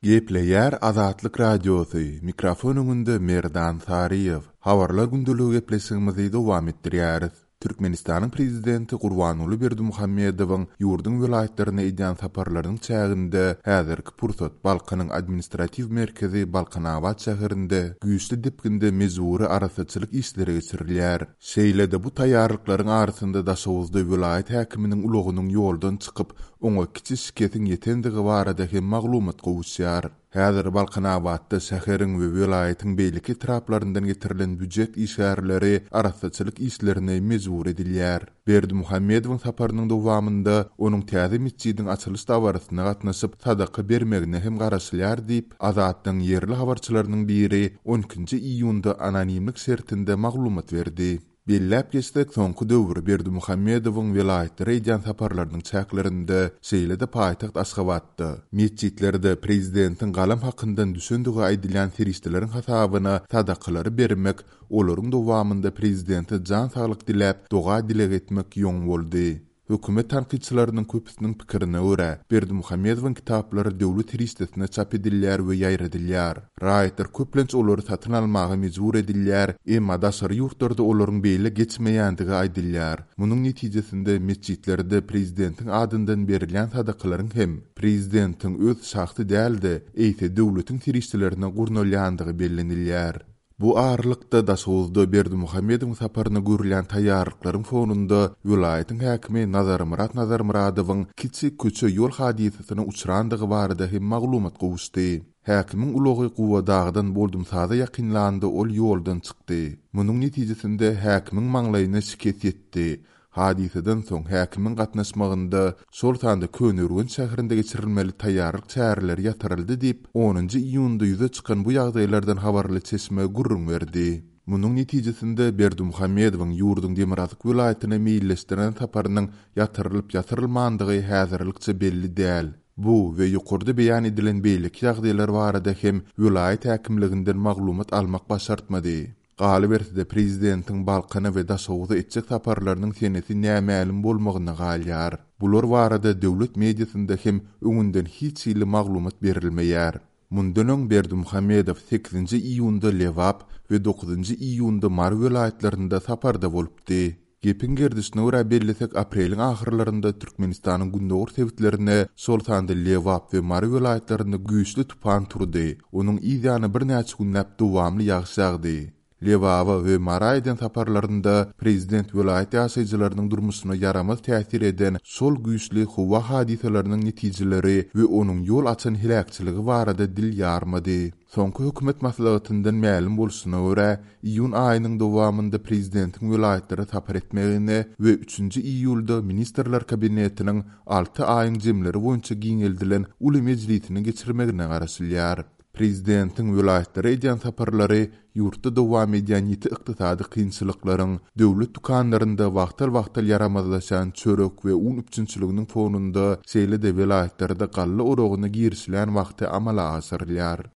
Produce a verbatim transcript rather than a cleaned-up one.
Gepleýär Azatlyk Radiosy, mikrofon öňünde Merdan Saryýew. Habarlar gündeligi gepleşigimizi dowam etdirýäris. Türkmenistanyň prezidenti Gurbanguly Berdimuhamedowyň ýurduň welaýatlaryna edýän saparlarynyň çäginde häzirki pursat Balkanyň administratiw merkezi Balkanabat şäherinde güýçli depginde mejbury arassaçylyk işleri geçirilýär. Şeýle-de bu taýýarlyklaryň arasynda Daşoguzda welaýat häkiminiň ulagynyň ýoldan çykyp, oňa kiçi şikesiň ýetendigi barada hem maglumat gowuşýar. Häzir Balkanabatda şäheriň we welaýatyň beýleki etraplaryndan getirilen býujet işgärleri arassaçylyk işlerine mejbur edilýär. Berdimuhamedowyň saparynyň dowamynda onuň täze metjidiň açylyş dabarasyna gatnaşyp, sadaka bermegine hem garaşylýar diýip, Azatlygyň ýerli habarçylarynyň biri on ikinji iýunda anonimlik şertinde maglumat berdi. Belläp geçsek, soňky döwür Berdimuhamedowyň welaýatlara edýän saparlarynyň çäklerinde, şeýle-de paýtagt Aşgabatda, metjitlerde prezidentiň galam hakyndan düşendigi aýdylýan serişdeleriň hasabyna sadakalary bermek, olaryň dowamynda prezidente jan saglyk diläp, doga dileg etmek ýoň boldy. Hökümet tankytçylarynyň köpüsiniň pikirine görä, Berdimuhamedowyň kitaplary döwlet serişdesine çap edilýär we ýaýradylýar. Raýatlar köplenç olary satyn almaga mejbur edilýär, emma daşary ýurtlarda olaryň beýle geçmeýändigi aýdylýar. Munuň netijesinde metjitlerde prezidentiň adyndan berilýän sadakalaryň hem prezidentiň öz şahsy däl-de, eýse döwletiň serişdelerine gurnalýandygy bellenilýär. Bu aralykda Daşoguzda Berdimuhamedowyň saparyna görülýän taýýarlyklaryň fonunda welaýatyň häkimi Nazarmyrat Nazarmyradowyň kiçi köçe ýol hadysasyna uçrandygy barada hem maglumat gowuşdy. Häkimiň ulagy Guwadagdan Boldumsaza ýakynlanda ol ýoldan çykdy. Munuň netijesinde häkimiň maňlaýyna şikes ýetdi. Hadysadan soň häkimiň gatnaşmagynda şol sanda Köneürgenç şäherinde geçirilmeli taýýarlyk çäreleri ýatyryldy diýip, onunjy iýunda ýüze çykan bu ýagdaýlardan habarly çeşme gürrüň berdi. Munuň netijesinde Berdimuhamedowyň ýurduň demirgazyk welaýatyna meýilleşdiren saparynyň ýatyrylyp ýatyrylmandygy häzirlikçe belli däl. Bu we ýokarda beýan edilen beýleki ýagdaýlar barada hem welaýat häkimliginden maglumat almak başartmady. Galyberse-de prezidentiň Balkana we Daşoguza etjek saparlarynyň senesi nämälim bolmagyna galýar. Bular barada döwlet mediasynda hem öňünden hiç hili maglumat berilmeýär. Mundan öň Berdimuhamedow sekizinji iýunda Lebap we dokuzynjy iýunda Mary welaýatlarynda saparda bolupdy. Gepiň gerdişine görä bellesek, apreliň ahyrlarynda Türkmenistanyň gündogar sebitlerine, şol sanda Lebap we Mary welaýatlarynda güýçli tupan turdy. Onuň yz ýany birnäçe günläp dowamly ýagyş ýagdy. Lebaba we Mara eden saparlarynda prezident welaýat ýaşaýjylarynyň durmuşyna ýaramaz täsir eden şol güýçli howa hadysalarynyň netijeleri we onuň ýol açan heläkçiligi barada dil ýarmady. Soňky hökümet maslahatyndan mälim bolşuna görä, iýun aýynyň dowamynda prezidentiň welaýatlara sapar etmegine we üçünji iýulda Ministrler Kabinetiniň alty aýyň jemleri boýunça giňeldilen uly mejlisini geçirmegine garaşylýar. Prezidentiň welaýatlara edýän saparlary ýurtda dowam edýän ýiti ykdysady kynçylyklaryň, döwlet dükanlarynda wagtal-wagtal ýaramazlaşan çörek we un üpjünçiliginiň fonunda, şeýle-de welaýatlarda galla oragyna girişilen wagty amala aşyrylýar.